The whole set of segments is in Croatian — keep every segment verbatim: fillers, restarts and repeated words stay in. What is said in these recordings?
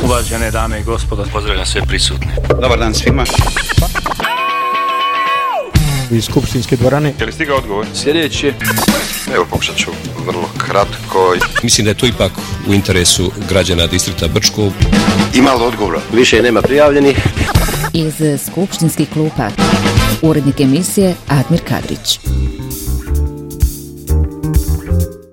Uvažene dame i gospodo, pozdravljam sve prisutne. Dobar dan svima. Iz skupštinske dvorane. Je li stigao odgovor? Sljedeći. Evo, pokušat ću vrlo kratko. Mislim da je to ipak u interesu građana distrikta Brčko. Ima li odgovora? Više nema prijavljenih. Iz skupštinskih klupa urednik emisije Admir Kadrić.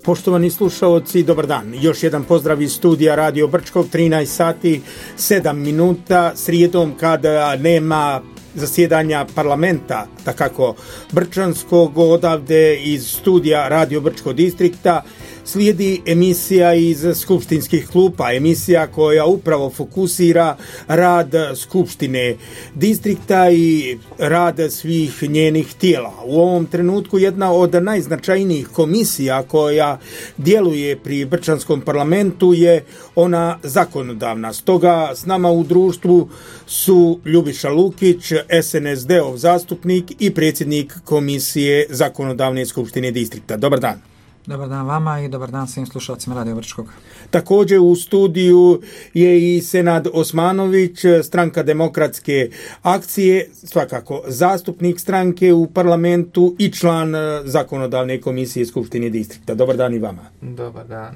Poštovani slušaoci, dobar dan. Još jedan pozdrav iz studija Radio Brčkog, trinaest sati, sedam minuta, srijedom kada nema zasjedanja parlamenta, takako Brčanskog, odavde iz studija Radio Brčkog distrikta, slijedi emisija iz skupštinskih klupa, emisija koja upravo fokusira rad skupštine distrikta i rad svih njenih tijela. U ovom trenutku jedna od najznačajnijih komisija koja djeluje pri Brčanskom parlamentu je ona zakonodavna. Stoga s nama u društvu su Ljubiša Lukić, S N S D-ov zastupnik i predsjednik komisije zakonodavne skupštine distrikta. Dobar dan. Dobar dan vama i dobar dan svim slušalcima Radio Brčkog. Također u studiju je i Senad Osmanović, stranka Demokratske akcije, svakako zastupnik stranke u parlamentu i član zakonodavne komisije Skupštine distrikta. Dobar dan i vama. Dobar dan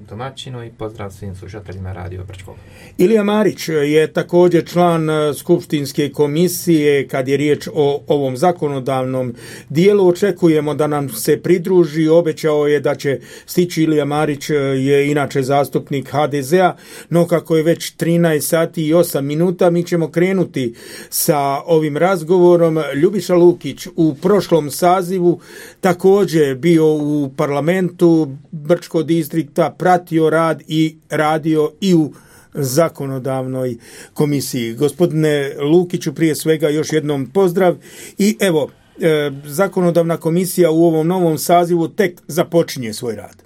domaćinu i pozdrav svim slušateljima Radio Brčkog. Ilija Marić je također član skupštinske komisije kad je riječ o ovom zakonodavnom dijelu. Očekujemo da nam se pridruži, obećao je da će stići. Ilija Marić je inače zastupnik H D Z-a, no kako je već trinaest sati i osam minuta, mi ćemo krenuti sa ovim razgovorom. Ljubiša Lukić u prošlom sazivu također bio u parlamentu Brčkog distrikta, pratio rad i radio i u zakonodavnoj komisiji. Gospodine Lukiću, prije svega još jednom pozdrav i evo, e, zakonodavna komisija u ovom novom sazivu tek započinje svoj rad.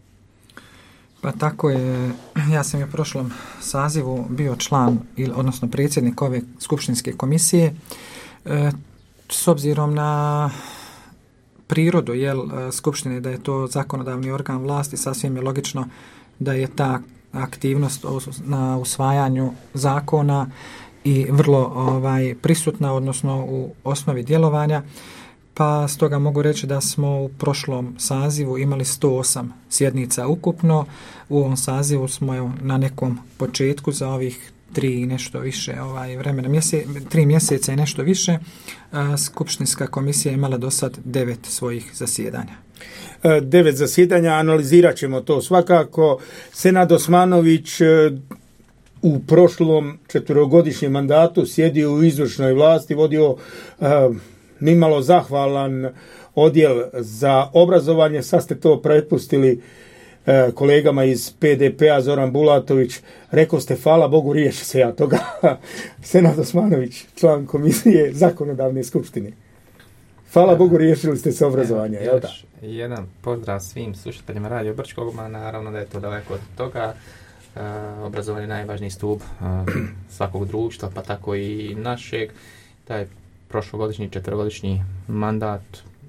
Pa tako je, ja sam u prošlom sazivu bio član, odnosno predsjednik ove skupštinske komisije. E, s obzirom na prirodu jel, skupštine, da je to zakonodavni organ vlasti, sasvim je logično da je ta aktivnost na usvajanju zakona i vrlo ovaj, prisutna, odnosno u osnovi djelovanja, pa stoga mogu reći da smo u prošlom sazivu imali sto osam sjednica ukupno. U ovom sazivu smo na nekom početku za ovih tri i nešto više ovaj, vremena, mjese, tri mjeseca i nešto više, a, skupštinska komisija imala do sad devet svojih zasjedanja. Devet zasjedanja, analizirat ćemo to svakako. Senad Osmanović u prošlom četverogodišnjem mandatu sjedio u izvršnoj vlasti, vodio uh, nimalo zahvalan odjel za obrazovanje. Sad ste to prepustili uh, kolegama iz P D P-a, Zoran Bulatović. Rekao ste, hvala Bogu, riješi se ja toga. Senad Osmanović, član komisije zakonodavne skupštine. Hvala ja, Bogu, riješili ste se obrazovanja. Evo, još jedan pozdrav svim slušateljima Radio Brčkog, naravno da je to daleko od toga. Uh, obrazovanje je najvažniji stup uh, svakog društva, pa tako i našeg. Taj prošlogodišnji, četvrogodišnji mandat,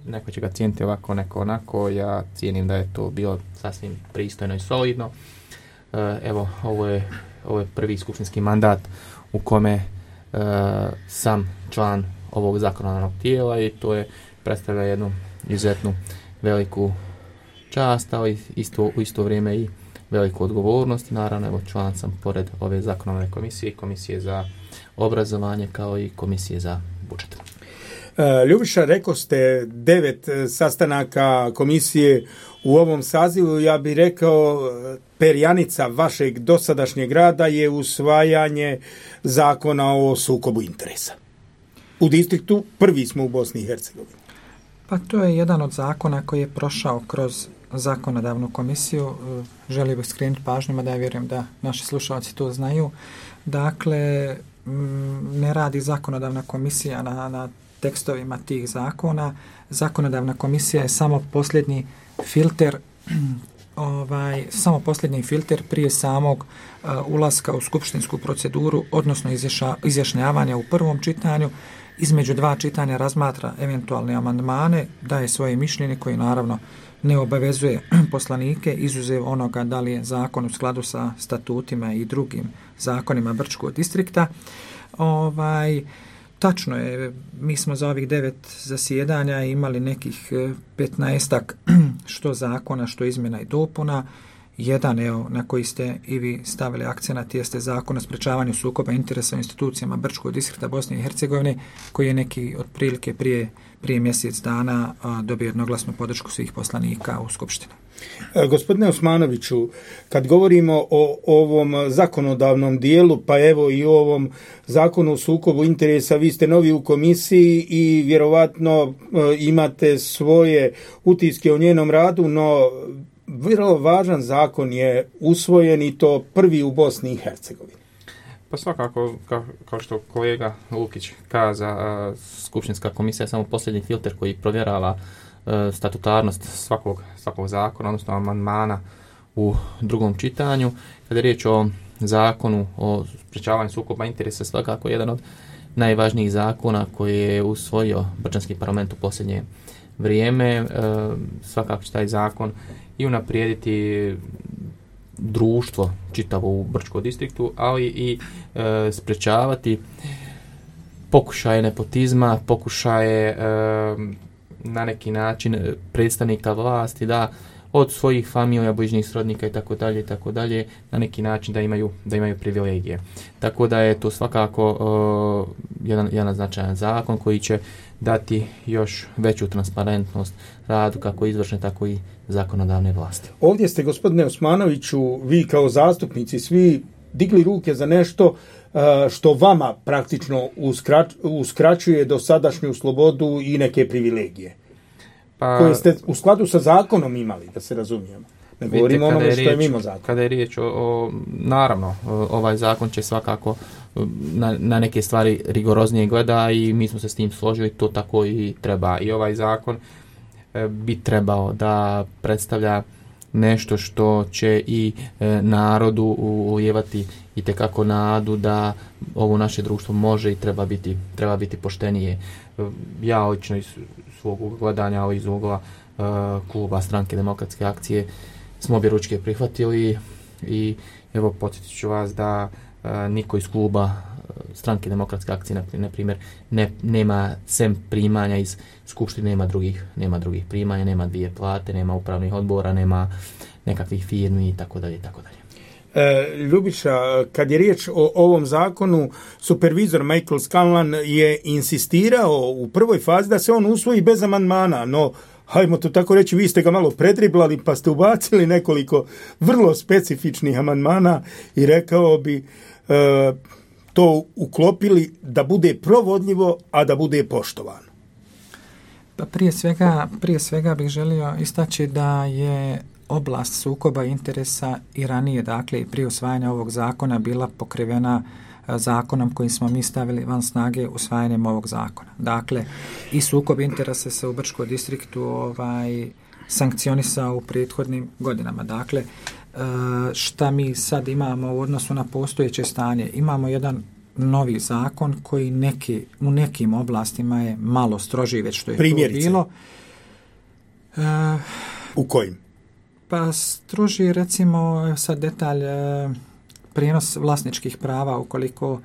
neko će ga cijeniti ovako, neko onako. Ja cijenim da je to bilo sasvim pristojno i solidno. Uh, evo, ovo je, ovo je prvi skupštinski mandat u kome uh, sam član ovog zakonodavnog tijela i to je predstavlja jednu izuzetnu veliku čast, ali isto, u isto vrijeme i veliku odgovornost. Naravno, evo, član sam pored ove zakonodavne komisije, komisije za obrazovanje kao i komisije za budžet. Ljubiša, rekao ste devet sastanaka komisije u ovom sazivu. Ja bih rekao, perjanica vašeg dosadašnjeg rada je usvajanje zakona o sukobu interesa. U distriktu prvi smo u Bosni i Hercegovini. Pa to je jedan od zakona koji je prošao kroz zakonodavnu komisiju. Želio bih skrenuti pažnju, da ja vjerujem da naši slušalci to znaju. Dakle, ne radi zakonodavna komisija na, na tekstovima tih zakona. Zakonodavna komisija je samo posljednji filter ovaj, samo posljednji filter prije samog uh, ulaska u skupštinsku proceduru, odnosno izjaša, izjašnjavanja u prvom čitanju. Između dva čitanja razmatra eventualne amandmane, daje svoje mišljenje koje naravno ne obavezuje poslanike, izuzev onoga da li je zakon u skladu sa statutima i drugim zakonima Brčkog distrikta. Ovaj, tačno je, mi smo za ovih devet zasjedanja imali nekih petnaestak što zakona, što izmjena i dopuna. Jedan, evo, na koji ste i vi stavili akcenat, jeste Zakon o sprečavanju sukoba interesa u institucijama Brčkog distrikta Bosne i Hercegovine, koji je neki otprilike prije, prije mjesec dana a, dobio jednoglasnu podršku svih poslanika u Skupštini. E, gospodine Osmanoviću, kad govorimo o ovom zakonodavnom dijelu, pa evo i o ovom zakonu o sukobu interesa, vi ste novi u komisiji i vjerovatno e, imate svoje utiske o njenom radu, no vrlo važan zakon je usvojen i to prvi u Bosni i Hercegovini. Pa svakako, kao, kao što kolega Lukić kaza, Skupštinska komisija je samo posljednji filter koji provjerava statutarnost svakog, svakog zakona, odnosno amandmana u drugom čitanju. Kada je riječ o zakonu o sprečavanju sukoba interesa, svakako jedan od najvažnijih zakona koji je usvojio Brčanski parlament u posljednje vrijeme. Svakako će taj zakon i unaprijediti društvo čitavo u Brčkom distriktu, ali i e, sprečavati pokušaje nepotizma, pokušaje e, na neki način predstavnika vlasti da od svojih familija, bližnjih srodnika i tako dalje i tako dalje na neki način da imaju da imaju privilegije. Tako da je to svakako uh, jedan jedan značajan zakon koji će dati još veću transparentnost radu kako izvršne tako i zakonodavne vlasti. Ovdje ste, gospodine Osmanoviću, vi kao zastupnici svi digli ruke za nešto uh, što vama praktično uskrač, uskraćuje dosadašnju slobodu i neke privilegije. Pa, koje ste u skladu sa zakonom imali, da se razumijemo. Ne govorimo onome što je mimo zakona. Kada je riječ o, o naravno, ovaj zakon će svakako na, na neke stvari rigoroznije gleda i mi smo se s tim složili, to tako i treba. I ovaj zakon e, bi trebao da predstavlja nešto što će i e, narodu ulijevati i tekako nadu da ovo naše društvo može i treba biti, treba biti poštenije. Ja lično iz svog gledanja, ali iz ugla uh, kluba Stranke demokratske akcije smo objeručke prihvatili i evo podsjetit ću vas da uh, niko iz kluba uh, Stranke demokratske akcije na primjer ne, nema sem primanja iz skupštine, nema drugih, nema drugih primanja, nema dvije plate, nema upravnih odbora, nema nekakvih firmi i tako dalje i tako dalje. E, Ljubiša, kad je riječ o ovom zakonu, supervizor Michael Scanlan je insistirao u prvoj fazi da se on usvoji bez amandmana, no hajmo to tako reći, vi ste ga malo predriblali pa ste ubacili nekoliko vrlo specifičnih amandmana i rekao bi e, to uklopili da bude provodljivo, a da bude poštovano. Pa prije svega, prije svega bih želio istaći da je oblast sukoba interesa i ranije, dakle i prije usvajanja ovog zakona bila pokrivena zakonom koji smo mi stavili van snage usvajanjem ovog zakona. Dakle, i sukob interesa se u Brčkom distriktu ovaj, sankcionisao u prethodnim godinama. Dakle, šta mi sad imamo u odnosu na postojeće stanje? Imamo jedan novi zakon koji neki, u nekim oblastima je malo strožiji već što je Primjerice. to bilo. Uh, u kojim? Pa stroži, recimo, sad detalj, prijenos vlasničkih prava, ukoliko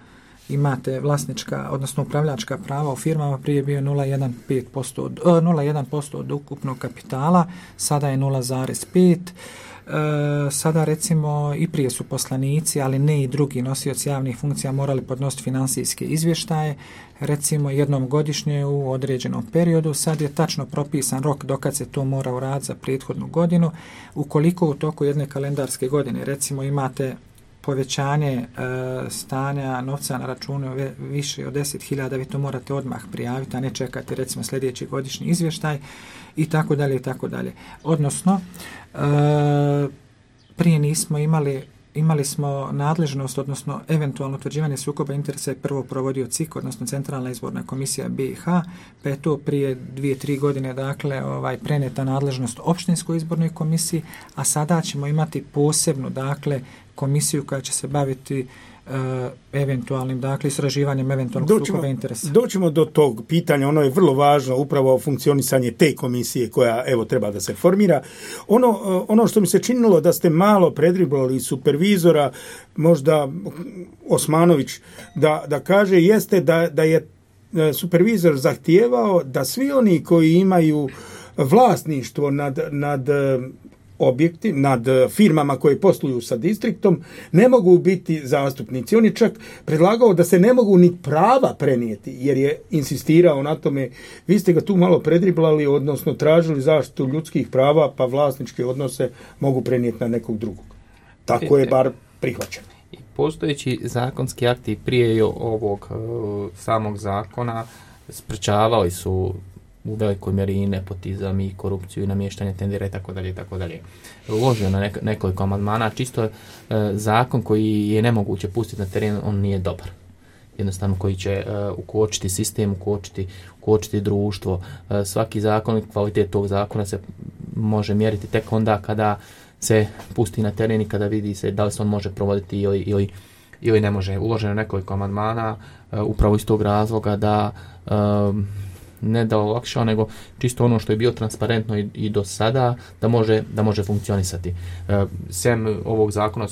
imate vlasnička, odnosno upravljačka prava u firmama, prije bio nula zarez jedan posto od, nula zarez jedan posto od ukupnog kapitala, sada je nula zarez pet. E, sada recimo i prije su poslanici, ali ne i drugi nosioci javnih funkcija morali podnositi financijske izvještaje, recimo jednom godišnje u određenom periodu. Sad je tačno propisan rok dokad se to mora uraditi za prethodnu godinu. Ukoliko u toku jedne kalendarske godine recimo imate povećanje e, stanja novca na računu više od deset hiljada, vi to morate odmah prijaviti, a ne čekati recimo sljedeći godišnji izvještaj i tako dalje i tako dalje. Odnosno, e, prije nismo imali imali smo nadležnost, odnosno eventualno utvrđivanje sukoba interesa je prvo provodio C I K, odnosno Centralna izborna komisija B i H, pa je to prije dvije, tri godine dakle ovaj preneta nadležnost opštinskoj izbornoj komisiji, a sada ćemo imati posebnu dakle komisiju koja će se baviti Uh, eventualnim, dakle, istraživanjem eventualnog doćemo, sukoba interesa. Doćemo do tog pitanja, ono je vrlo važno, upravo funkcionisanje te komisije koja, evo, treba da se formira. Ono, ono što mi se činilo da ste malo predriblali supervizora, možda Osmanović, da, da kaže, jeste da, da je supervizor zahtijevao da svi oni koji imaju vlasništvo nad, nad objekti, nad firmama koje posluju sa distriktom, ne mogu biti zastupnici. On je čak predlagao da se ne mogu ni prava prenijeti, jer je insistirao na tome. Vi ste ga tu malo predriblali, odnosno tražili zaštitu ljudskih prava, pa vlasničke odnose mogu prenijeti na nekog drugog. Tako je bar prihvaćeno. Postojeći zakonski akti prije ovog uh, samog zakona sprečavali su u velikoj mjeri i nepotizam i korupciju i namještanje tendera i tako dalje i tako dalje. Uložio na nek- nekoliko amandmana, čisto e, zakon koji je nemoguće pustiti na teren, on nije dobar. Jednostavno koji će e, ukočiti sistem, ukočiti, ukočiti društvo. E, svaki zakon, kvalitet tog zakona se može mjeriti tek onda kada se pusti na teren i kada vidi se da li se on može provoditi ili, ili, ili ne može. Uloženo nekoliko amandmana e, upravo iz tog razloga da e, ne da olakšao, nego čisto ono što je bio transparentno i, i do sada, da može, da može funkcionisati. E, sem ovog zakona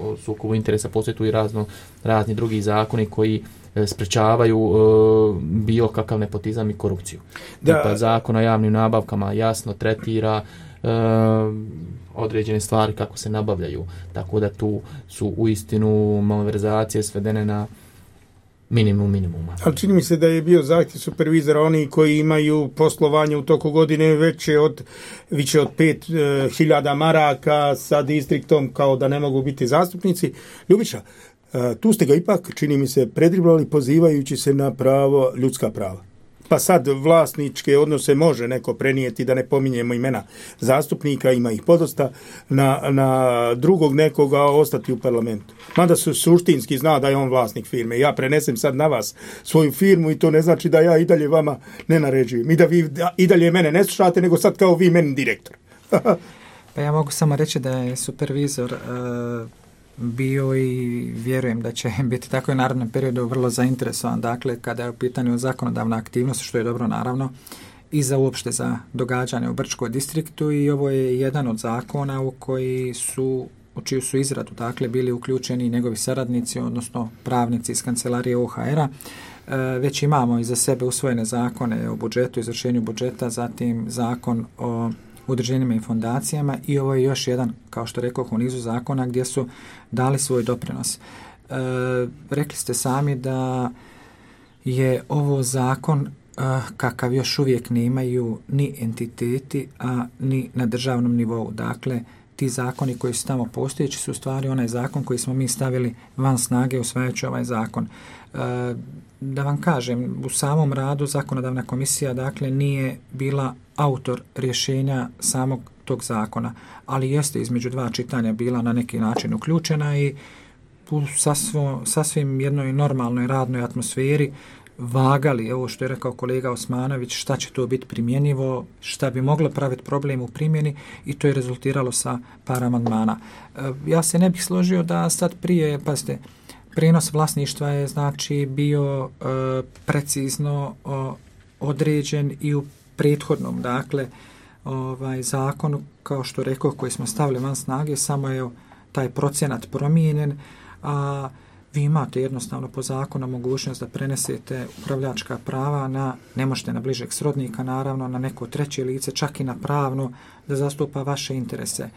o sukobu interesa postoje tu i razno, razni drugi zakoni koji e, sprečavaju e, bilo kakav nepotizam i korupciju. Da. Pa zakon o javnim nabavkama jasno tretira e, određene stvari kako se nabavljaju, tako da tu su uistinu malverzacije svedene na minimum minimuma. Ali čini mi se da je bio zahtjev supervizora oni koji imaju poslovanje u toku godine veće od više od pet e, hiljada maraka sa distriktom, kao da ne mogu biti zastupnici. Ljubiša, e, tu ste ga ipak, čini mi se, predriblali pozivajući se na pravo, ljudska prava. Pa sad vlasničke odnose može neko prenijeti, da ne pominjemo imena zastupnika, ima ih podosta, na, na drugog nekoga ostati u parlamentu. Mada su suštinski zna da je on vlasnik firme. Ja prenesem sad na vas svoju firmu i to ne znači da ja i dalje vama ne naređujem. I da vi i dalje mene ne slušate, nego sad kao vi meni direktor. Pa ja mogu samo reći da je supervizor uh, bio i vjerujem da će biti tako i u narednom periodu vrlo zainteresovan, dakle, kada je u pitanju zakonodavna aktivnost, što je dobro naravno, i za uopšte za događanje u Brčkom distriktu, i ovo je jedan od zakona u koji su, u čiju su izradu, dakle, bili uključeni njegovi saradnici, odnosno pravnici iz kancelarije O H R-a. E, već imamo iza sebe usvojene zakone o budžetu, izvršenju budžeta, zatim zakon o udruženjima i fondacijama, i ovo je još jedan, kao što rekao, u nizu zakona gdje su dali svoj doprinos. E, rekli ste sami da je ovo zakon e, kakav još uvijek nemaju ni entiteti, a ni na državnom nivou. Dakle, ti zakoni koji su tamo postojeći su u stvari onaj zakon koji smo mi stavili van snage usvajajući ovaj zakon. E, da vam kažem, u samom radu zakonodavna komisija, dakle, nije bila autor rješenja samog tog zakona, ali jeste između dva čitanja bila na neki način uključena i u sasvo, sasvim jednoj normalnoj radnoj atmosferi vagali, ovo što je rekao kolega Osmanović, šta će to biti primjenjivo, šta bi moglo praviti problem u primjeni, i to je rezultiralo sa par amandmana. E, ja se ne bih složio da sad prije, pazite, prijenos vlasništva je znači bio e, precizno o, određen i u prethodnom, dakle, ovaj zakonu, kao što rekao, koji smo stavili van snage, samo je taj procenat promijenjen, a vi imate jednostavno po zakonu mogućnost da prenesete upravljačka prava na, ne možete na bližeg srodnika, naravno, na neko treće lice, čak i na pravno, da zastupa vaše interese.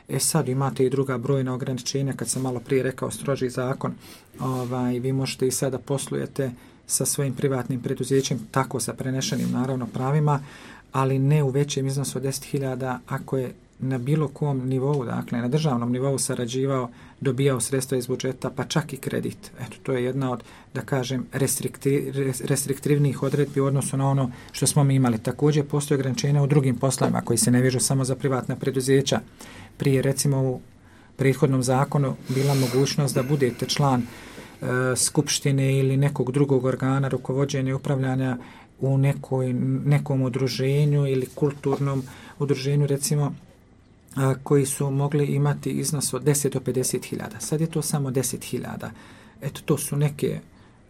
E sad imate i druga brojna ograničenja, kad sam malo prije rekao stroži zakon, ovaj, vi možete i sada poslujete sa svojim privatnim preduzećem, tako sa prenešenim naravno pravima, ali ne u većem iznosu od deset hiljada ako je na bilo kom nivou, dakle na državnom nivou sarađivao, dobijao sredstva iz budžeta, pa čak i kredit. Eto, to je jedna od, da kažem, restrikti, restriktivnih odredbi u odnosu na ono što smo mi imali. Također postoje ograničenja u drugim poslovima koji se ne vežu samo za privatna preduzeća. Prije, recimo, u prethodnom zakonu bila mogućnost da budete član e, skupštine ili nekog drugog organa rukovođenja i upravljanja u nekoj, nekom udruženju ili kulturnom udruženju, recimo, koji su mogli imati iznos od deset do pedeset hiljada. Sad je to samo deset hiljada. Eto, to su neke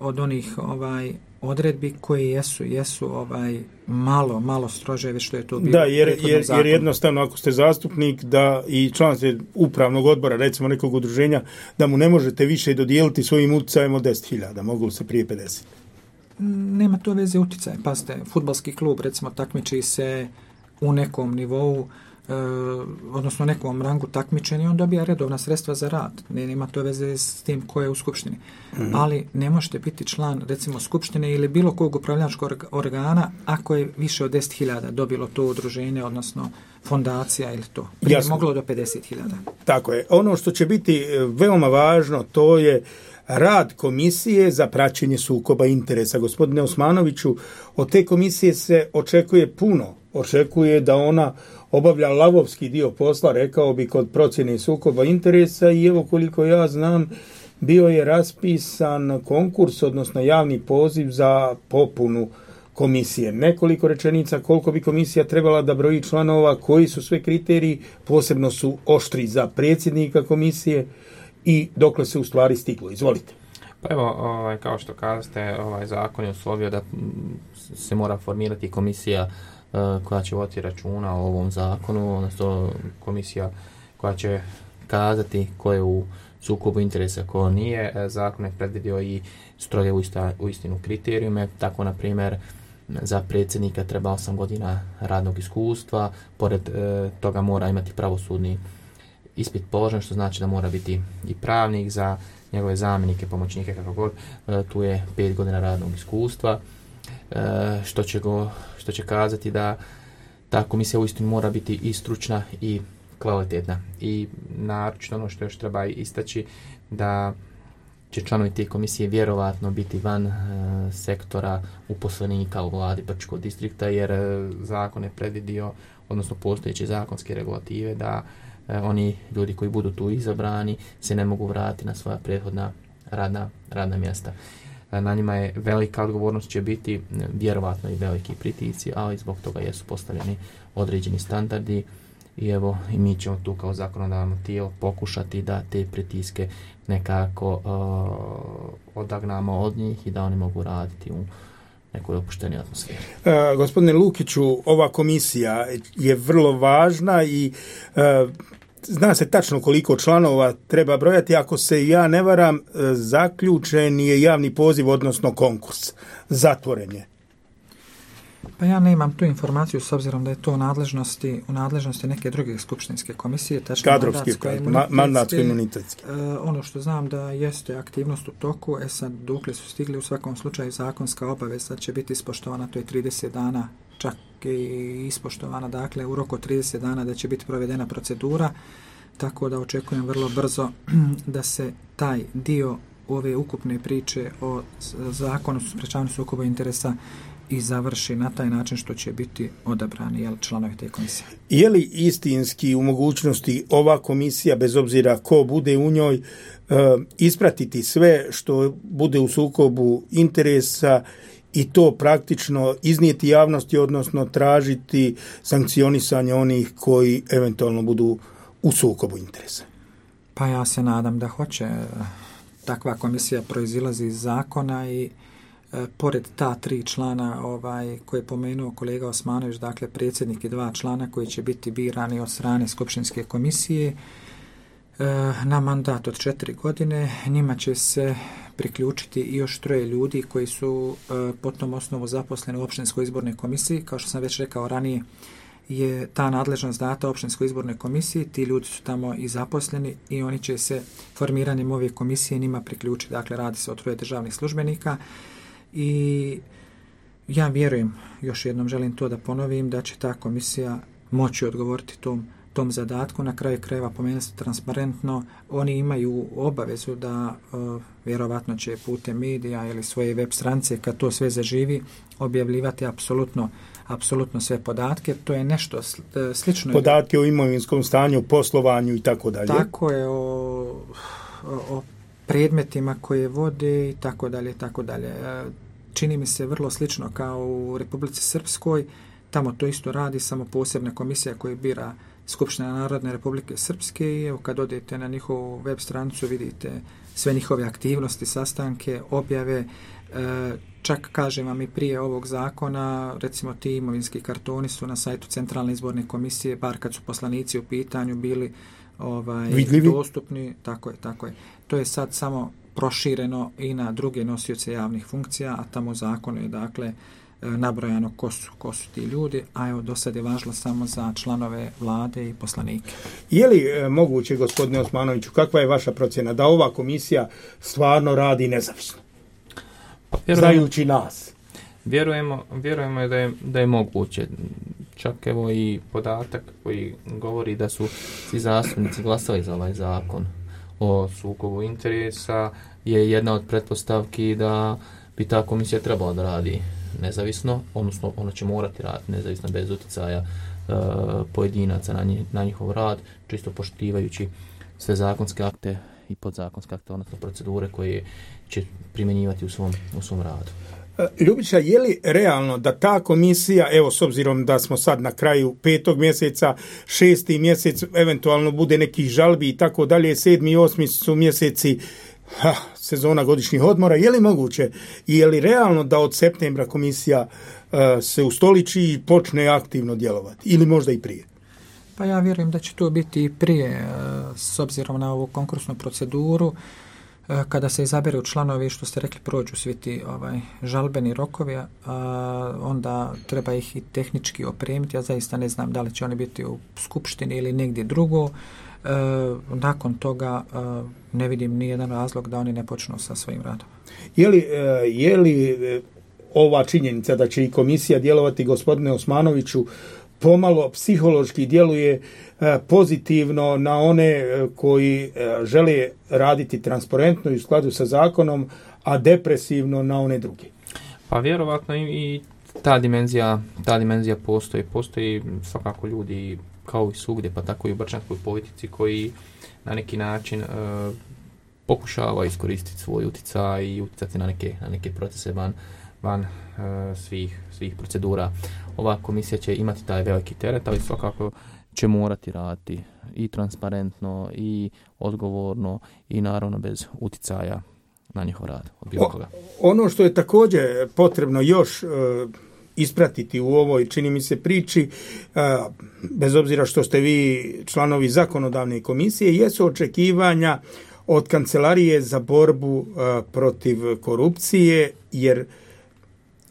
od onih ovaj odredbi koje jesu jesu ovaj malo malo strože već što je to bilo. Da, jer, jer, jer jednostavno ako ste zastupnik da i član ste upravnog odbora, recimo nekog udruženja, da mu ne možete više dodijeliti svojim utjecajem od deset hiljada, moglo se prije pedeset. Nema to veze utjecaj. Pazite, fudbalski klub recimo takmiči se u nekom nivou, e, odnosno nekom rangu takmičenja, on dobija redovna sredstva za rad. Ne, nema to veze s tim ko je u skupštini. Mm-hmm. Ali ne možete biti član recimo skupštine ili bilo kog upravljačkog organa ako je više od deset hiljada dobilo to udruženje, odnosno fondacija ili to. Prije je moglo do pedeset hiljada. Tako je. Ono što će biti veoma važno, to je rad komisije za praćenje sukoba interesa. Gospodine Osmanoviću, od te komisije se očekuje puno. Očekuje da ona obavlja lavovski dio posla, rekao bi, kod procjene sukoba interesa i evo koliko ja znam, bio je raspisan konkurs, odnosno javni poziv za popunu komisije. Nekoliko rečenica koliko bi komisija trebala da broji članova, koji su sve kriteriji, posebno su oštri za predsjednika komisije i dokle se u stvari stiglo. Izvolite. Pa evo, ovaj, kao što kažete, ovaj zakon je uslovio da se mora formirati komisija uh, koja će voditi računa o ovom zakonu, odnosno komisija koja će kazati ko je u sukobu interesa, ko nije. Zakon je predvidio i stroge u istinu kriterijume, tako na primjer za predsjednika treba osam godina radnog iskustva, pored uh, toga mora imati pravosudni ispit položen, što znači da mora biti i pravnik, za njegove zamjenike, pomoćnike, kako god, e, tu je pet godina radnog iskustva, e, što će go, što će kazati da ta komisija uistinu mora biti i stručna i kvalitetna. I naročito ono što još treba istaći, da će članovi te komisije vjerovatno biti van e, sektora uposlenika u vladi Brčkog distrikta, jer e, zakon je predvidio, odnosno postojeće zakonske regulative, da oni ljudi koji budu tu izabrani se ne mogu vratiti na svoja prethodna radna, radna mjesta. Na njima je velika odgovornost, će biti vjerovatno i veliki pritisci, ali zbog toga jesu postavljeni određeni standardi i evo i mi ćemo tu kao zakonodavno tijelo pokušati da te pritiske nekako uh, odagnamo od njih i da oni mogu raditi u nekoj opuštenoj atmosferi. Uh, gospodine Lukiću, ova komisija je vrlo važna i uh, zna se tačno koliko članova treba brojati. Ako se ja ne varam, uh, zaključen je javni poziv, odnosno konkurs. Zatvoren je. Pa ja nemam tu informaciju s obzirom da je to u nadležnosti, u nadležnosti neke druge skupštinske komisije, tačno mandatsko-imunitetske. Uh, ono što znam da jeste aktivnost u toku, e sad dokle su stigli, u svakom slučaju zakonska obaveza će biti ispoštovana, to je trideset dana, čak i ispoštovana, dakle u roku trideset dana da će biti provedena procedura, tako da očekujem vrlo brzo da se taj dio ove ukupne priče o zakonu o sprečavanju sukoba interesa i završi na taj način što će biti odabrani jel, članovi te komisije. Je li istinski u mogućnosti ova komisija, bez obzira ko bude u njoj, ispratiti sve što bude u sukobu interesa i to praktično iznijeti javnosti, odnosno tražiti sankcionisanje onih koji eventualno budu u sukobu interesa? Pa ja se nadam da hoće. Takva komisija proizilazi iz zakona i pored ta tri člana ovaj, koje je pomenuo kolega Osmanović, dakle predsjednik i dva člana koji će biti birani od strane skupštinske komisije e, na mandat od četiri godine, njima će se priključiti i još troje ljudi koji su e, po tom osnovu zaposleni u opštinskoj izbornoj komisiji. Kao što sam već rekao ranije, je ta nadležnost data opštinskoj izbornoj komisiji, ti ljudi su tamo i zaposleni i oni će se formiranjem ove komisije njima priključiti. Dakle, radi se o troje državnih službenika. I ja vjerujem, još jednom želim to da ponovim, da će ta komisija moći odgovoriti tom, tom zadatku. Na kraju krajeva pomenuti transparentno, oni imaju obavezu da uh, vjerovatno će putem medija ili svoje web stranice, kad to sve zaživi, objavljivati apsolutno apsolutno sve podatke. To je nešto slično. Podatke o imovinskom stanju, poslovanju i tako dalje. Tako je, o, o, o predmetima koje vode i tako dalje, tako dalje. Čini mi se vrlo slično kao u Republici Srpskoj, tamo to isto radi, samo posebna komisija koja bira Skupština Narodne Republike Srpske i evo kad odete na njihovu web stranicu vidite sve njihove aktivnosti, sastanke, objave, e, čak kažem vam i prije ovog zakona, recimo ti imovinski kartoni su na sajtu Centralne izborne komisije, bar kad su poslanici u pitanju bili ovaj, dostupni, tako je, tako je. To je sad samo prošireno i na druge nosioce javnih funkcija, a tamo u zakonu je dakle nabrojano ko su, ko su ti ljudi, a evo do sad je važilo samo za članove vlade i poslanike. Je li e, moguće, gospodine Osmanoviću, kakva je vaša procjena da ova komisija stvarno radi nezavisno? Pa, vjerujemo, znajući nas. Vjerujemo, vjerujemo da je, da je moguće. Čak evo i podatak koji govori da su svi zastupnici glasali za ovaj zakon o sukobu interesa je jedna od pretpostavki da bi ta komisija trebala da radi nezavisno, odnosno ona će morati raditi nezavisno bez utjecaja e, pojedinaca na, njih, na njihov rad, čisto poštivajući sve zakonske akte i podzakonske akte, odnosno procedure koje će primjenjivati u svom, u svom radu. Ljubiša, je li realno da ta komisija, evo s obzirom da smo sad na kraju petog mjeseca, šesti mjesec, eventualno bude nekih žalbi i tako dalje, sedmi i osmi su mjeseci ha, sezona godišnjih odmora, je li moguće i je li realno da od septembra komisija uh, se ustoliči i počne aktivno djelovati ili možda i prije? Pa ja vjerujem da će to biti i prije, s obzirom na ovu konkursnu proceduru. Kada se izaberu članovi, što ste rekli, prođu svi ti ovaj, žalbeni rokovi, a, onda treba ih i tehnički opremiti. Ja zaista ne znam da li će oni biti u skupštini ili negdje drugo. E, nakon toga e, ne vidim ni jedan razlog da oni ne počnu sa svojim radom. Je li, je li ova činjenica da će i komisija djelovati, gospodine Osmanoviću, pomalo psihološki djeluje pozitivno na one koji žele raditi transparentno i u skladu sa zakonom, a depresivno na one druge? Pa vjerovatno i ta dimenzija, ta dimenzija postoji. Postoji svakako ljudi kao i svugdje, pa tako i u brčanskoj politici koji na neki način e, pokušava iskoristiti svoj utjecaj i utjecati na neke, na neke procese van, van e, svih, svih procedura. Ova komisija će imati taj veliki teret, ali svakako će morati raditi i transparentno i odgovorno i naravno bez utjecaja na njihov rad. Od bilo koga. O, ono što je također potrebno još e, ispratiti u ovoj, čini mi se, priči, e, bez obzira što ste vi članovi zakonodavne komisije, jesu očekivanja od Kancelarije za borbu e, protiv korupcije, jer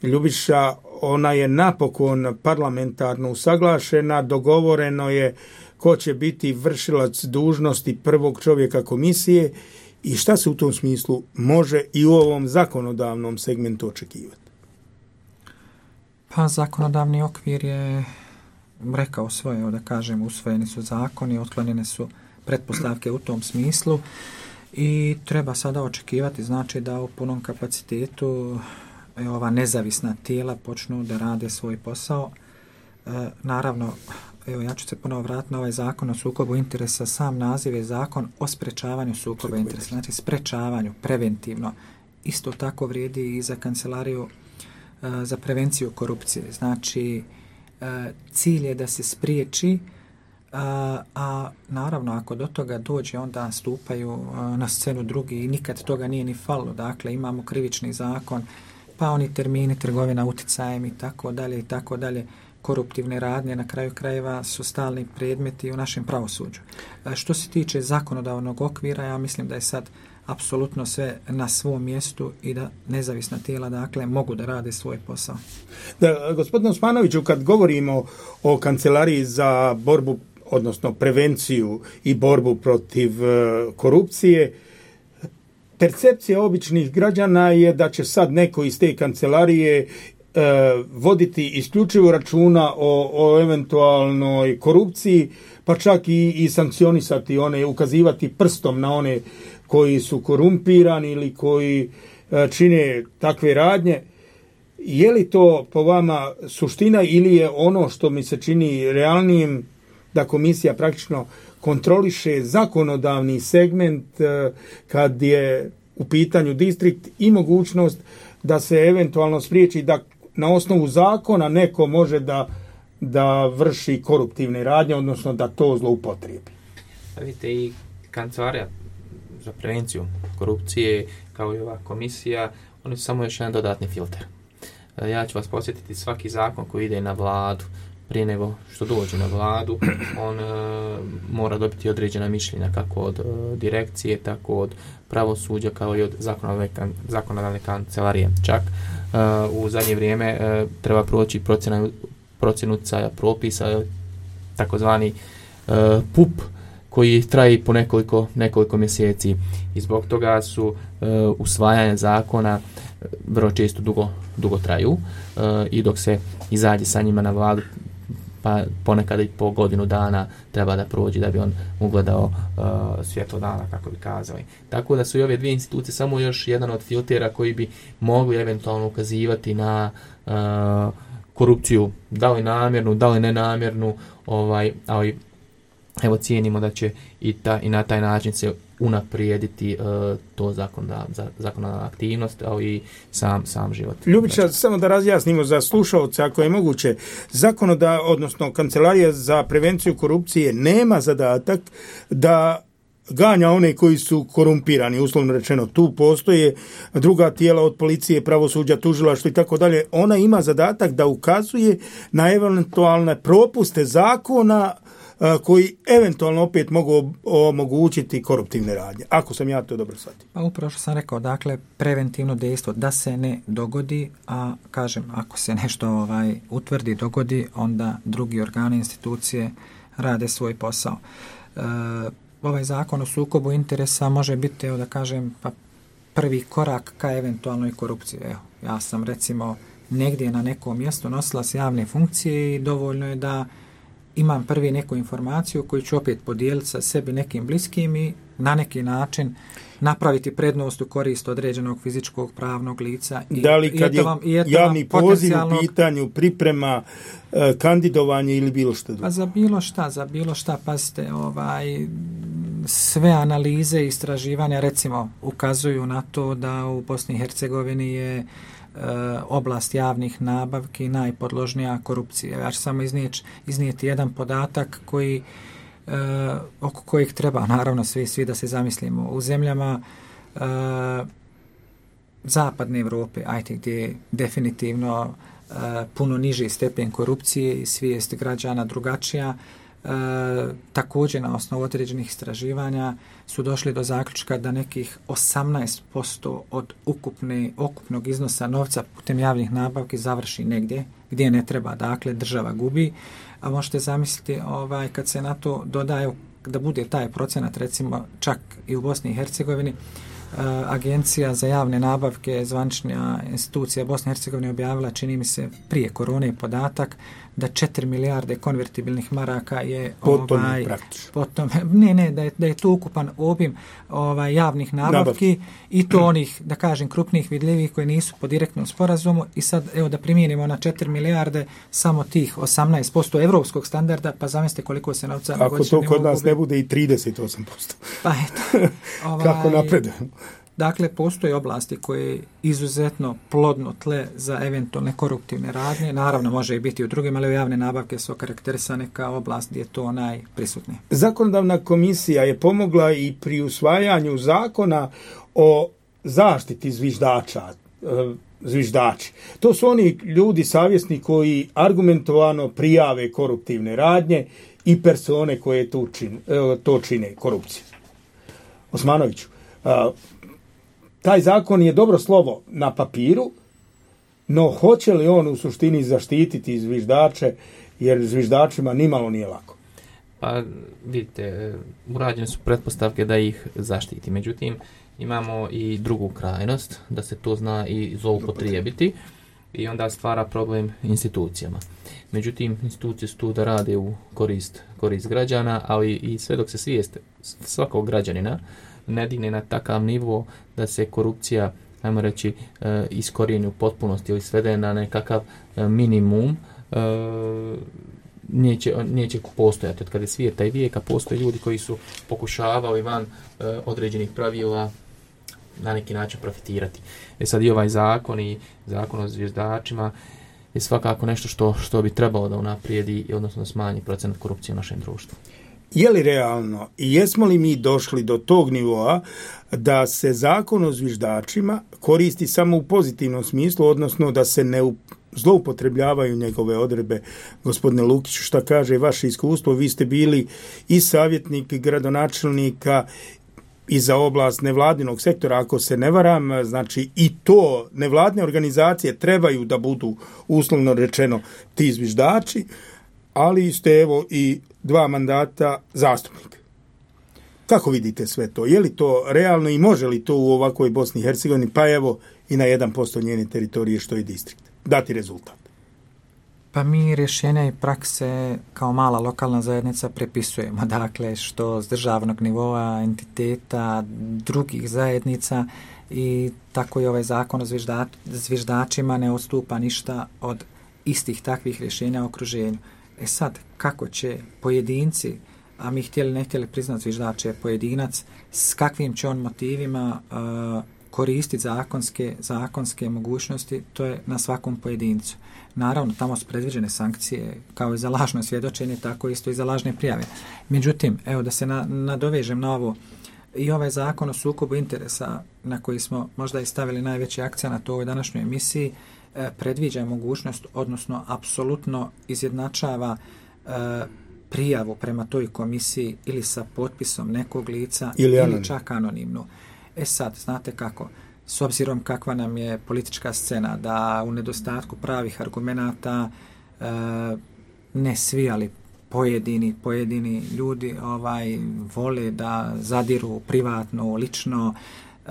Ljubiša, ona je napokon parlamentarno usaglašena, dogovoreno je ko će biti vršilac dužnosti prvog čovjeka komisije i šta se u tom smislu može i u ovom zakonodavnom segmentu očekivati? Pa zakonodavni okvir je rekao svoje, da kažem, usvojeni su zakoni, otklonjene su pretpostavke u tom smislu i treba sada očekivati, znači da u punom kapacitetu ova nezavisna tijela počnu da rade svoj posao. E, naravno, evo ja ću se ponovo vratiti na ovaj zakon o sukobu interesa. Sam naziv je zakon o sprečavanju sukoba interesa, znači sprečavanju, preventivno. Isto tako vrijedi i za kancelariju e, za prevenciju korupcije. Znači, e, cilj je da se spriječi, a, a naravno ako do toga dođe, onda stupaju a, na scenu drugi i nikad toga nije ni falilo. Dakle, imamo krivični zakon, pa oni termini, trgovina uticajem i tako dalje i tako dalje, koruptivne radnje na kraju krajeva su stalni predmeti u našem pravosuđu. E, što se tiče zakonodavnog okvira, ja mislim da je sad apsolutno sve na svom mjestu i da nezavisna tijela, dakle, mogu da rade svoj posao. Da, gospodine Osmanoviću, kad govorimo o Kancelariji za borbu, odnosno prevenciju i borbu protiv uh, korupcije, percepcija običnih građana je da će sad neko iz te kancelarije e, voditi isključivo računa o, o eventualnoj korupciji, pa čak i, i sankcionisati one, ukazivati prstom na one koji su korumpirani ili koji e, čine takve radnje. Je li to po vama suština ili je ono što mi se čini realnijim da komisija praktično kontroliše zakonodavni segment kad je u pitanju distrikt i mogućnost da se eventualno spriječi da na osnovu zakona neko može da da vrši koruptivne radnje, odnosno da to zloupotrijebi. Vidite, i Kancelarija za prevenciju korupcije, kao i ova komisija, oni su samo još jedan dodatni filter. Ja ću vas podsjetiti, svaki zakon koji ide na vladu, prije nego što dođe na vladu, on e, mora dobiti određena mišljenja, kako od e, direkcije, tako od pravosuđa, kao i od zakonodavne, zakonodavne kancelarije. Čak e, u zadnje vrijeme e, treba proći procjena, procjenu utjecaja propisa, takozvani e, P U P, koji traje po nekoliko, nekoliko mjeseci. I zbog toga su e, usvajanje zakona vrlo često dugo, dugo traju e, i dok se izađe sa njima na vladu, pa ponekad i po godinu dana treba da prođe da bi on ugledao uh, svjetlo dana, kako bi kazali. Tako da su i ove dvije institucije samo još jedan od filtera koji bi mogli eventualno ukazivati na uh, korupciju, da li namjernu, da li nenamjernu, ovaj, ali evo cijenimo da će i, ta, i na taj način se unaprijediti uh, to zakonodavna zakonodavna aktivnost, ali i sam, sam život. Ljubića, samo da razjasnimo za slušalce, ako je moguće, zakonoda, odnosno Kancelarija za prevenciju korupcije nema zadatak da ganja one koji su korumpirani, uslovno rečeno. Tu postoje druga tijela od policije, pravosuđa, tužilaštva i tako dalje. Ona ima zadatak da ukazuje na eventualne propuste zakona koji eventualno opet mogu omogućiti koruptivne radnje, ako sam ja to dobro shvatio. Pa upravo što sam rekao, dakle, preventivno dejstvo da se ne dogodi, a kažem, ako se nešto ovaj utvrdi, dogodi, onda drugi organi, institucije rade svoj posao. E, ovaj zakon o sukobu interesa može biti, evo da kažem, pa prvi korak ka eventualnoj korupciji. Evo, ja sam recimo negdje na nekom mjestu nosilac javne funkcije i dovoljno je da imam prvi neku informaciju koju ću opet podijeliti sa sebi nekim bliskim i na neki način napraviti prednost u korist određenog fizičkog pravnog lica. I, da li kad i je vam, i javni poziv u pitanju, priprema, eh, kandidovanje ili bilo što drugo? Pa za bilo šta, za bilo šta, pazite, ovaj, sve analize i istraživanja recimo ukazuju na to da u Bosni i Hercegovini je oblast javnih nabavki najpodložnija korupcije. Ja ću samo iznijeti, iznijeti jedan podatak koji e, oko kojeg treba naravno svi, svi da se zamislimo. U zemljama e, zapadne Europe, ajte gdje je definitivno e, puno niži stepen korupcije i svijest građana drugačija, E, također na osnovu određenih istraživanja su došli do zaključka da nekih osamnaest posto od ukupne, ukupnog iznosa novca putem javnih nabavki završi negdje gdje ne treba, dakle država gubi, a možete zamisliti ovaj, kad se na to dodaju da bude taj procenat recimo čak i u Bosni i Hercegovini. Agencija za javne nabavke, zvanična institucija Bosne i Hercegovine objavila, čini mi se prije korone, podatak da četiri milijarde konvertibilnih maraka je potom ovaj, potom, ne, ne, da je, da je to ukupan obim ovaj, javnih nabavki Nabavki. I to onih, da kažem, krupnih vidljivih koji nisu po direktnom sporazumu i sad, evo da primijenimo na četiri milijarde samo tih osamnaest posto evropskog standarda, pa zamislite koliko se novca ako to kod nas gubi. Ne bude i trideset osam posto. Pa eto. Ovaj, kako napredujemo? Dakle, postoje oblasti koje je izuzetno plodno tle za eventualne koruptivne radnje. Naravno, može i biti u drugim, ali javne nabavke su okarakterisane kao oblast gdje je to najprisutnije. Zakonodavna komisija je pomogla i pri usvajanju zakona o zaštiti zviždača, zviždači. To su oni ljudi savjesni koji argumentovano prijave koruptivne radnje i persone koje to čine, to čine korupciju. Osmanoviću, taj zakon je dobro slovo na papiru, no hoće li on u suštini zaštititi zviždače, jer zviždačima nimalo nije lako? Pa vidite, urađene su pretpostavke da ih zaštiti. Međutim, imamo i drugu krajnost, da se to zna i zloupotrijebiti i onda stvara problem institucijama. Međutim, institucije su tu da rade u korist, korist građana, ali i sve dok se svijest svakog građanina ne digne na takav nivo da se korupcija, ajmo reći, e, iskorijeni u potpunosti ili svede na nekakav e, minimum, e, neće, neće postojati. Od kada je svijeta i vijeka postoje ljudi koji su pokušavali van e, određenih pravila na neki način profitirati. E sad i ovaj zakon i zakon o zviždačima je svakako nešto što, što bi trebalo da unaprijedi, odnosno da smanji procenat korupcije u našem društvu. Je li realno i jesmo li mi došli do tog nivoa da se zakon o zviždačima koristi samo u pozitivnom smislu, odnosno da se ne zloupotrebljavaju njegove odredbe? Gospodine Lukiću, šta kaže vaše iskustvo? Vi ste bili i savjetnik gradonačelnika i za oblast nevladinog sektora, ako se ne varam, znači i to nevladne organizacije trebaju da budu uslovno rečeno ti zviždači, ali ste evo i dva mandata zastupnika. Kako vidite sve to? Je li to realno i može li to u ovakvoj Bosni i Hercegovini, pa evo i na jedan posto njene teritorije što je distrikt, dati rezultat? Pa mi rješenja i prakse kao mala lokalna zajednica prepisujemo, dakle što s državnog nivoa, entiteta, drugih zajednica, i tako i ovaj zakon o zvižda, zviždačima ne odstupa ništa od istih takvih rješenja u okruženju. E sad, kako će pojedinci, a mi htjeli ne htjeli priznat zviždač je pojedinac, s kakvim će on motivima uh, koristiti zakonske, zakonske mogućnosti, to je na svakom pojedincu. Naravno, tamo su predviđene sankcije, kao i za lažno svjedočenje, tako isto i za lažne prijave. Međutim, evo da se na, nadovežem na ovo, i ovaj zakon o sukobu interesa, na koji smo možda i stavili najveći akcenat u ovoj današnjoj emisiji, eh, predviđa mogućnost, odnosno apsolutno izjednačava eh, prijavu prema toj komisiji ili sa potpisom nekog lica ili, ili čak anonimno. E sad, znate kako, s obzirom kakva nam je politička scena, da u nedostatku pravih argumenata e, ne svi, ali pojedini, pojedini ljudi ovaj vole da zadiru privatno, lično, e,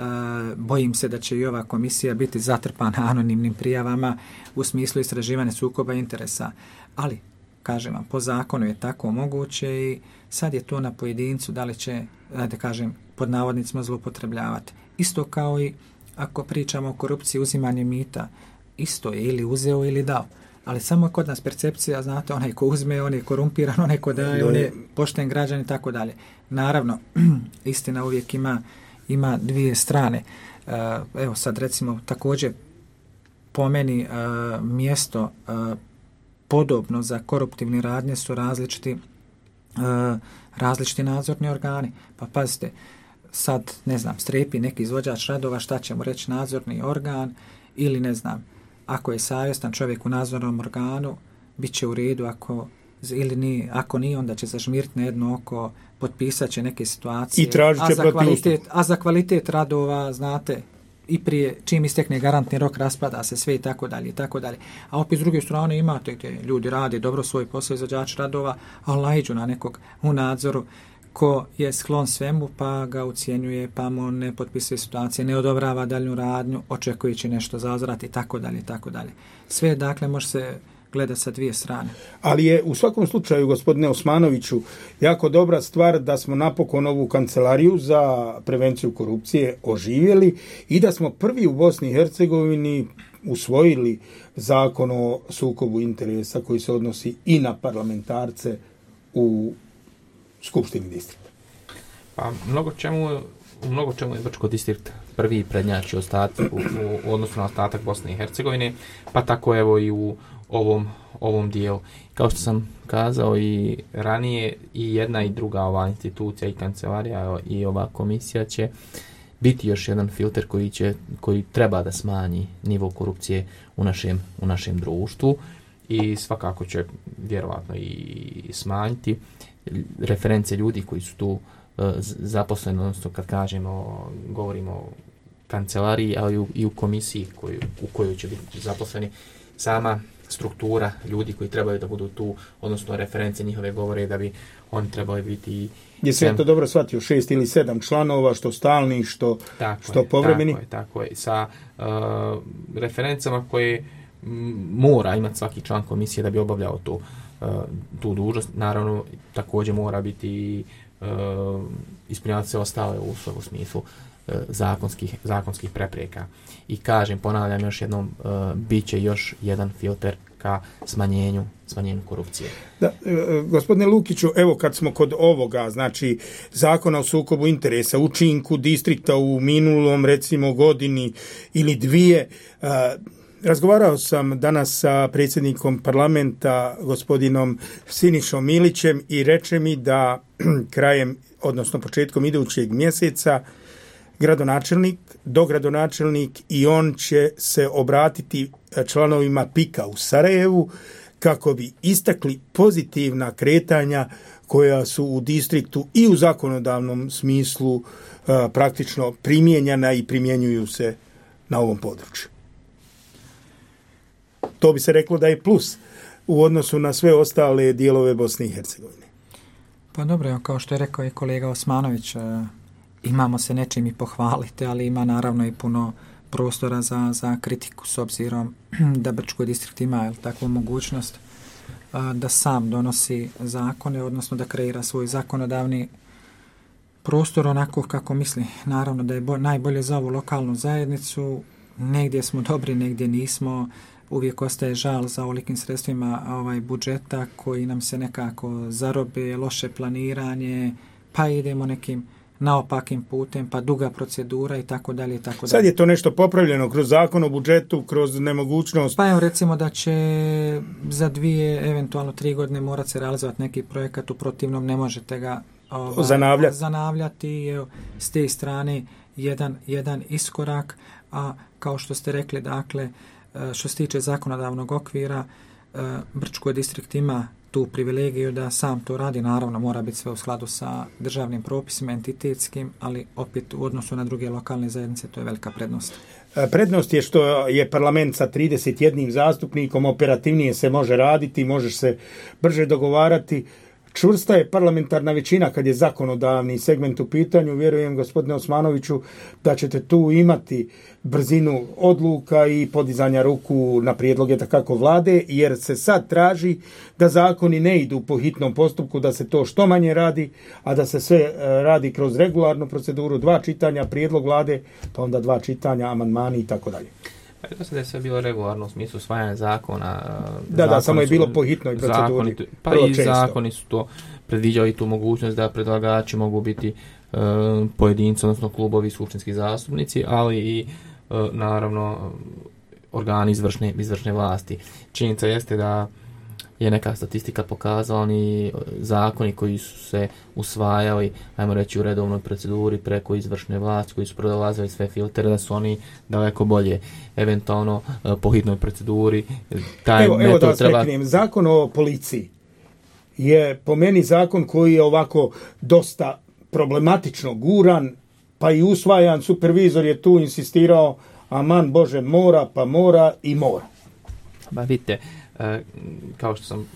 bojim se da će i ova komisija biti zatrpana anonimnim prijavama u smislu istraživanja sukoba interesa. Ali, kažem vam, po zakonu je tako moguće i sad je to na pojedincu da li će, da kažem, pod navodnicima zloupotrebljavati. Isto kao i ako pričamo o korupciji, uzimanje mita, isto je ili uzeo ili dao. Ali samo kod nas percepcija, znate, onaj ko uzme, on je korumpiran, onaj ko daje, on je pošten građan i tako dalje. Naravno, istina uvijek ima, ima dvije strane. Uh, evo sad recimo također po meni uh, mjesto uh, podobno za koruptivne radnje su različiti, uh, različiti nadzorni organi. Pa pazite, sad, ne znam, strepi neki izvođač radova, šta će mu reći nadzorni organ, ili ne znam, ako je savjestan čovjek u nadzornom organu, bit će u redu, ako, ili ni, ako nije, onda će zažmiriti na jedno oko, potpisat će neke situacije. I tražit će a za kvalitet, a za kvalitet radova, znate, i prije, čim istekne garantni rok, raspada se sve i tako dalje i tako dalje. A opet s druge strane imate gdje ljudi rade dobro svoj posao, izvođač radova, ali naiđu na nekog u nadzoru ko je sklon svemu, pa ga ucijenjuje, pa mu ne potpisuje situacije, ne odobrava daljnju radnju, očekujući nešto za uzvrat i tako dalje i tako dalje. Sve, dakle, može se gleda sa dvije strane. Ali je u svakom slučaju, gospodine Osmanoviću, jako dobra stvar da smo napokon ovu kancelariju za prevenciju korupcije oživjeli i da smo prvi u Bosni i Hercegovini usvojili zakon o sukobu interesa koji se odnosi i na parlamentarce u Skupštini distrikta. Pa mnogo čemu, u mnogo čemu je Brčko distrikt prvi prednjači ostatak u, u odnosu na ostatak Bosne i Hercegovine, pa tako evo i u ovom, ovom dijelu. Kao što sam kazao i ranije, i jedna i druga ova institucija i kancelarija i ova komisija će biti još jedan filter koji će, koji treba da smanji nivo korupcije u našem, u našem društvu i svakako će vjerovatno i smanjiti reference ljudi koji su tu uh, zaposleni, odnosno kad kažemo, govorimo o kancelariji, ali u, i u komisiji koju, u kojoj će biti zaposleni, sama struktura ljudi koji trebaju da budu tu, odnosno reference njihove govore da bi oni trebali biti... Je sve to dobro shvatio, šest ili sedam članova, što stalni, što, što povremeni? Tako je, tako je. Sa uh, referencama koje m, mora imati svaki član komisije da bi obavljao to, uh, tu dužnost. Naravno, također mora biti uh, ispunjavati sve ostale uslove u smislu uh, zakonskih, zakonskih prepreka. I kažem, ponavljam još jednom, uh, bit će još jedan filter ka smanjenju, smanjenju korupcije. Da, e, gospodine Lukiću, evo kad smo kod ovoga, znači zakona o sukobu interesa, učinku distrikta u minulom, recimo, godini ili dvije, e, razgovarao sam danas sa predsjednikom parlamenta gospodinom Sinišom Milićem i reče mi da krajem, odnosno početkom idućeg mjeseca gradonačelnik, dogradonačelnik i on će se obratiti članovima pika u Sarajevu kako bi istakli pozitivna kretanja koja su u distriktu i u zakonodavnom smislu uh, praktično primijenjena i primjenjuju se na ovom području. To bi se reklo da je plus u odnosu na sve ostale dijelove Bosne i Hercegovine. Pa dobro, kao što je rekao i kolega Osmanović, imamo se nečim i pohvaliti, ali ima naravno i puno prostora za, za kritiku s obzirom da Brčko distrikt ima jel, takvu mogućnost da sam donosi zakone, odnosno da kreira svoj zakonodavni prostor onako kako misli. Naravno da je bo, najbolje za ovu lokalnu zajednicu, negdje smo dobri, negdje nismo, uvijek ostaje žal za ovolikim sredstvima ovaj, budžeta koji nam se nekako zarobe, loše planiranje, pa idemo nekim naopakim putem, pa duga procedura i tako dalje i tako dalje. Sad je to nešto popravljeno kroz zakon o budžetu, kroz nemogućnost. Pa evo recimo da će za dvije, eventualno tri godine morat se realizovati neki projekat, u protivnom ne možete ga ovaj, zanavljati. zanavljati. Evo, s te strane jedan, jedan iskorak, a kao što ste rekli, dakle, što se tiče zakonodavnog okvira, Brčko distrikt ima tu privilegiju da sam to radi, naravno mora biti sve u skladu sa državnim propisima, entitetskim, ali opet u odnosu na druge lokalne zajednice to je velika prednost. Prednost je što je parlament sa trideset jednim zastupnikom, operativnije se može raditi, možeš se brže dogovarati. Čvrsta je parlamentarna većina kad je zakonodavni segment u pitanju. Vjerujem, gospodine Osmanoviću, da ćete tu imati brzinu odluka i podizanja ruku na prijedloge takako vlade, jer se sad traži da zakoni ne idu po hitnom postupku, da se to što manje radi, a da se sve radi kroz regularnu proceduru, dva čitanja, prijedlog vlade, pa onda dva čitanja, amandmani i tako dalje. Pa da je sve bilo regularno u smislu usvajanja zakona. Da, da, samo je bilo po hitnoj proceduri. Zakoni, pa i često. Zakoni su to predviđali tu mogućnost da predlagači mogu biti uh, pojedinci, odnosno klubovi, skupštinski zastupnici, ali i uh, naravno organi izvršne, izvršne vlasti. Činjenica jeste da je neka statistika pokazala, oni zakoni koji su se usvajali, ajmo reći, u redovnoj proceduri preko izvršne vlasti, koji su prolazili sve filtere, da su oni daleko bolje, eventualno po hitnoj proceduri. Taj evo, evo da vas treba... prekrijem, zakon o policiji je po meni zakon koji je ovako dosta problematično guran, pa i usvajan, supervizor je tu insistirao, aman Bože, mora, pa mora i mora. Ba vidite, E, kao što sam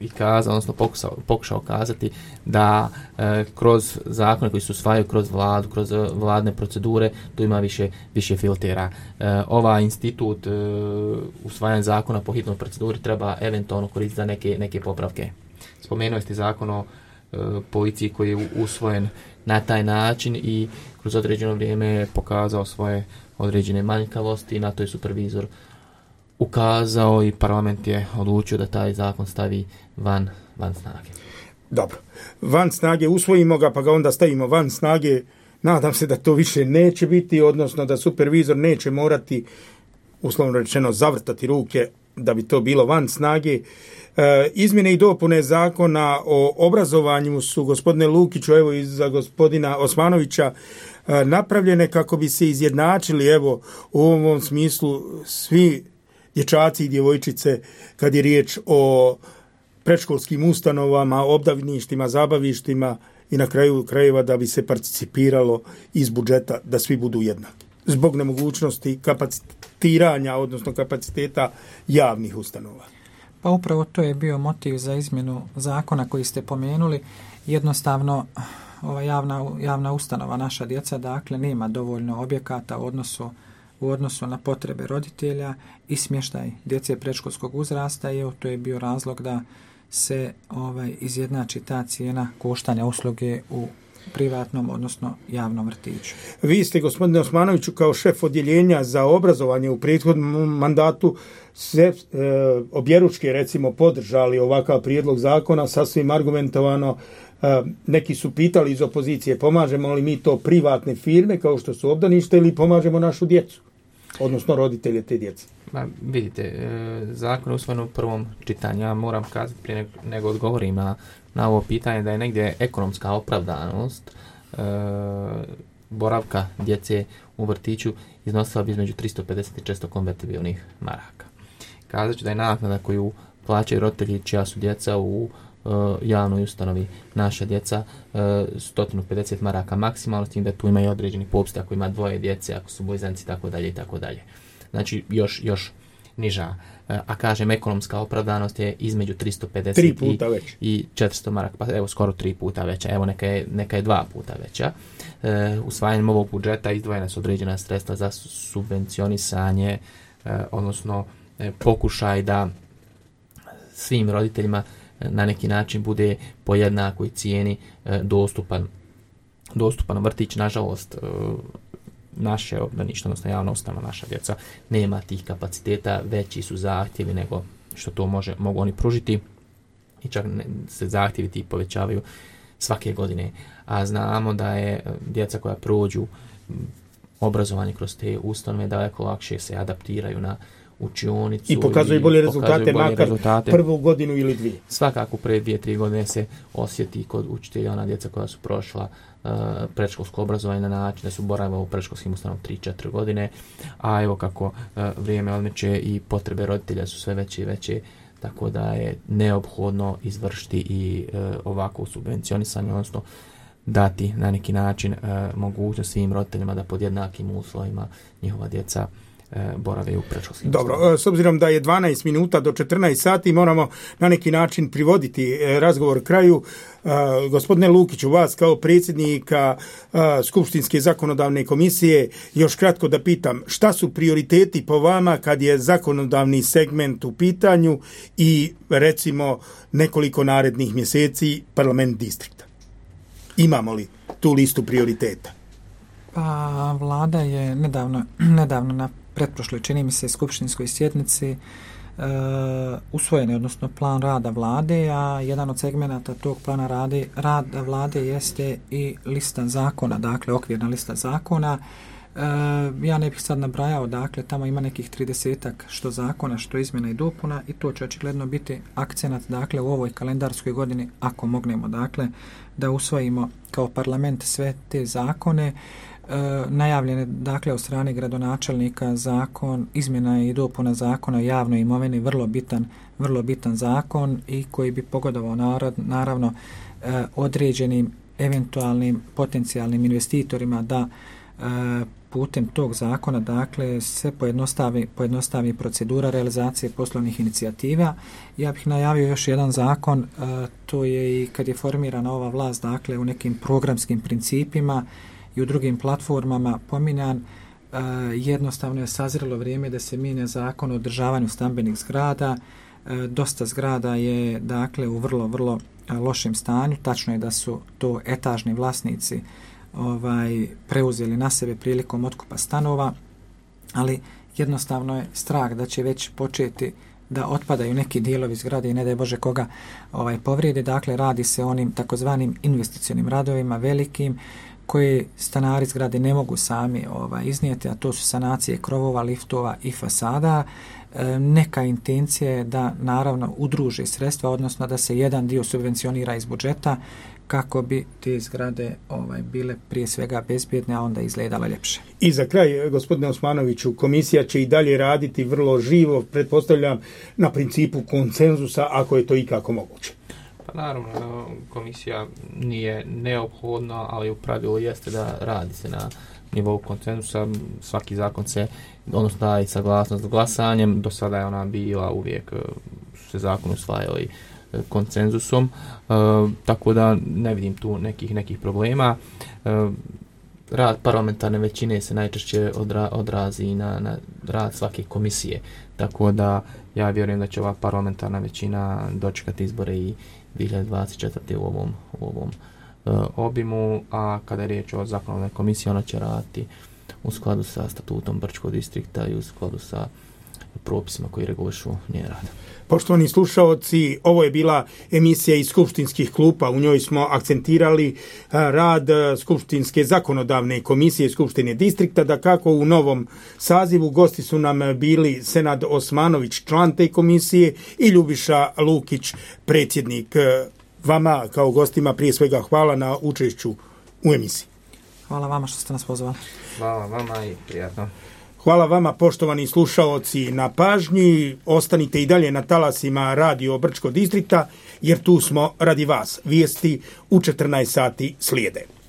i kazao, odnosno pokušao, pokušao kazati, da e, kroz zakone koji se usvajaju kroz vladu, kroz vladne procedure, tu ima više, više filtera. E, ovaj institut e, usvajanja zakona po hitnoj proceduri treba eventualno koristiti za neke, neke popravke. Spomenuo ste zakon o e, policiji koji je usvojen na taj način i kroz određeno vrijeme je pokazao svoje određene manjkavosti i na to je supervizor ukazao i parlament je odlučio da taj zakon stavi van, van snage. Dobro. Van snage, usvojimo ga pa ga onda stavimo van snage. Nadam se da to više neće biti, odnosno da supervizor neće morati, uslovno rečeno, zavrtati ruke da bi to bilo van snage. E, izmjene i dopune zakona o obrazovanju su, gospodine Lukiću, evo i za gospodina Osmanovića, e, napravljene kako bi se izjednačili, evo, u ovom smislu svi dječaci i djevojčice kad je riječ o predškolskim ustanovama, obdavništima, zabavištima i na kraju krajeva da bi se participiralo iz budžeta da svi budu jednaki. Zbog nemogućnosti kapacitiranja, odnosno kapaciteta javnih ustanova. Pa upravo to je bio motiv za izmjenu zakona koji ste pomenuli. Jednostavno, ova javna, javna ustanova, naša djeca, dakle, nema dovoljno objekata u odnosu u odnosu na potrebe roditelja i smještaj djece predškolskog uzrasta, i to je bio razlog da se ovaj izjednači ta cijena koštanja usluge u privatnom, odnosno javnom vrtiću. Vi ste, gospodine Osmanoviću, kao šef odjeljenja za obrazovanje u prethodnom mandatu se e, objeručke, recimo, podržali ovakav prijedlog zakona, sasvim argumentovano. E, neki su pitali iz opozicije, pomažemo li mi to privatne firme kao što su obdanište ili pomažemo našu djecu? odnosno roditelje te djece? Ma, vidite, zakon je usvojen u prvom čitanju. Ja moram kazati prije nego odgovorim na, na ovo pitanje da je negdje ekonomska opravdanost e, boravka djece u vrtiću iznosila bi između tristo pedeset i četiristo konvertibilnih maraka. Kazat ću da je naknada koju plaćaju roditelji čija su djeca u uh, javnoj ustanovi naša djeca uh, sto pedeset maraka maksimalno, s tim da tu ima i određeni popust ako ima dvoje djece, ako su blizanci i tako dalje i tako dalje. Znači još, još niža. Uh, a kažem, ekonomska opravdanost je između tristo pedeset i, i četiristo maraka, pa evo skoro tri puta veća, evo neka je, neka je dva puta veća. Uh, usvajanjem ovog budžeta izdvojena su određena sredstva za subvencionisanje, uh, odnosno uh, pokušaj da svim roditeljima na neki način bude po jednakoj cijeni e, dostupan, dostupan vrtić. Nažalost, e, naše obdanište, odnosno javna ustanova, naša djeca, nema tih kapaciteta, veći su zahtjevi nego što to može, mogu oni pružiti i čak ne, se zahtjevi ti povećavaju svake godine. A znamo da je djeca koja prođu obrazovanje kroz te ustanove daleko lakše se adaptiraju na učionicu i pokazuju bolje rezultate, bolje makar rezultate. Prvu godinu ili dvije. Svakako pre dvije, tri godine se osjeti kod učitelja ona djeca koja su prošla uh, predškolsko obrazovanje na način da su boravila u predškolskim ustanovama tri četiri godine, a evo kako uh, vrijeme odmeće i potrebe roditelja su sve veće i veće, tako da je neophodno izvršiti i uh, ovako subvencionisanje, odnosno dati na neki način uh, mogućnost svim roditeljima da pod jednakim uslovima njihova djeca borave u predškolskim. Dobro, s obzirom da je dvanaest minuta do četrnaest sati, moramo na neki način privoditi razgovor kraju. Gospodine Lukiću, vas kao predsjednika Skupštinske zakonodavne komisije, još kratko da pitam, šta su prioriteti po vama kad je zakonodavni segment u pitanju i recimo nekoliko narednih mjeseci parlament distrikta? Imamo li tu listu prioriteta? Pa vlada je nedavno, nedavno na pretprošloj, čini mi se, skupštinskoj sjednici uh, usvojen je, odnosno plan rada vlade, a jedan od segmenata tog plana rade, rada vlade jeste i lista zakona, dakle okvirna lista zakona. Uh, ja ne bih sad nabrajao, dakle tamo ima nekih tridesetak što zakona, što izmjena i dopuna i to će očigledno biti akcenat, dakle u ovoj kalendarskoj godini, ako mognemo, dakle da usvojimo kao parlament sve te zakone. E, najavljene, dakle, od strane gradonačelnika zakon, izmjena i dopuna zakona o javnoj imovini, vrlo bitan, vrlo bitan zakon i koji bi pogodovao narod, naravno e, određenim eventualnim potencijalnim investitorima da e, putem tog zakona, dakle, se pojednostavi, pojednostavi procedura realizacije poslovnih inicijativa. Ja bih najavio još jedan zakon, e, to je i kad je formirana ova vlast, dakle, u nekim programskim principima i u drugim platformama pominjan, e, jednostavno je sazrelo vrijeme da se mijenja zakon o održavanju stambenih zgrada. E, dosta zgrada je, dakle, u vrlo, vrlo a, lošem stanju. Tačno je da su to etažni vlasnici ovaj, preuzeli na sebe prilikom otkupa stanova, ali jednostavno je strah da će već početi da otpadaju neki dijelovi zgrade i ne daj Bože koga ovaj, povrijede. Dakle, radi se o onim takozvanim investicionim radovima velikim, koje stanari zgrade ne mogu sami ovaj, iznijeti, a to su sanacije krovova, liftova i fasada. E, neka intencija je da naravno udruže sredstva, odnosno da se jedan dio subvencionira iz budžeta kako bi te zgrade ovaj, bile prije svega bezbjedne, a onda izgledale ljepše. I za kraj, gospodine Osmanoviću, komisija će i dalje raditi vrlo živo, pretpostavljam, na principu konsenzusa, ako je to ikako moguće. Pa naravno, komisija nije neophodna, ali u pravilu jeste da radi se na nivou konsenzusa. Svaki zakon se, odnosno daje saglasnost glasanjem, do sada je ona bila uvijek, su se zakon usvajali konsenzusom, e, tako da ne vidim tu nekih nekih problema. E, rad parlamentarne većine se najčešće odra, odrazi na, na rad svake komisije, tako da ja vjerujem da će ova parlamentarna većina dočekati izbore i dvije hiljade dvadeset četvrte u ovom, u ovom e, obimu, a kada je riječ o zakonodavnoj komisiji, ona će raditi u skladu sa statutom Brčkog distrikta i u skladu sa propisima koji regulišu njen rad. Poštovani slušaoci, ovo je bila emisija iz skupštinskih klupa. U njoj smo akcentirali rad Skupštinske zakonodavne komisije Skupštine distrikta, da kako u novom sazivu gosti su nam bili Senad Osmanović, član te komisije, i Ljubiša Lukić, predsjednik. Vama kao gostima prije svega hvala na učešću u emisiji. Hvala vama što ste nas pozvali. Hvala vama i prijatno. Hvala vama, poštovani slušaoci, na pažnji. Ostanite i dalje na talasima Radio Brčko distrikta, jer tu smo radi vas. Vijesti u četrnaest sati slijede.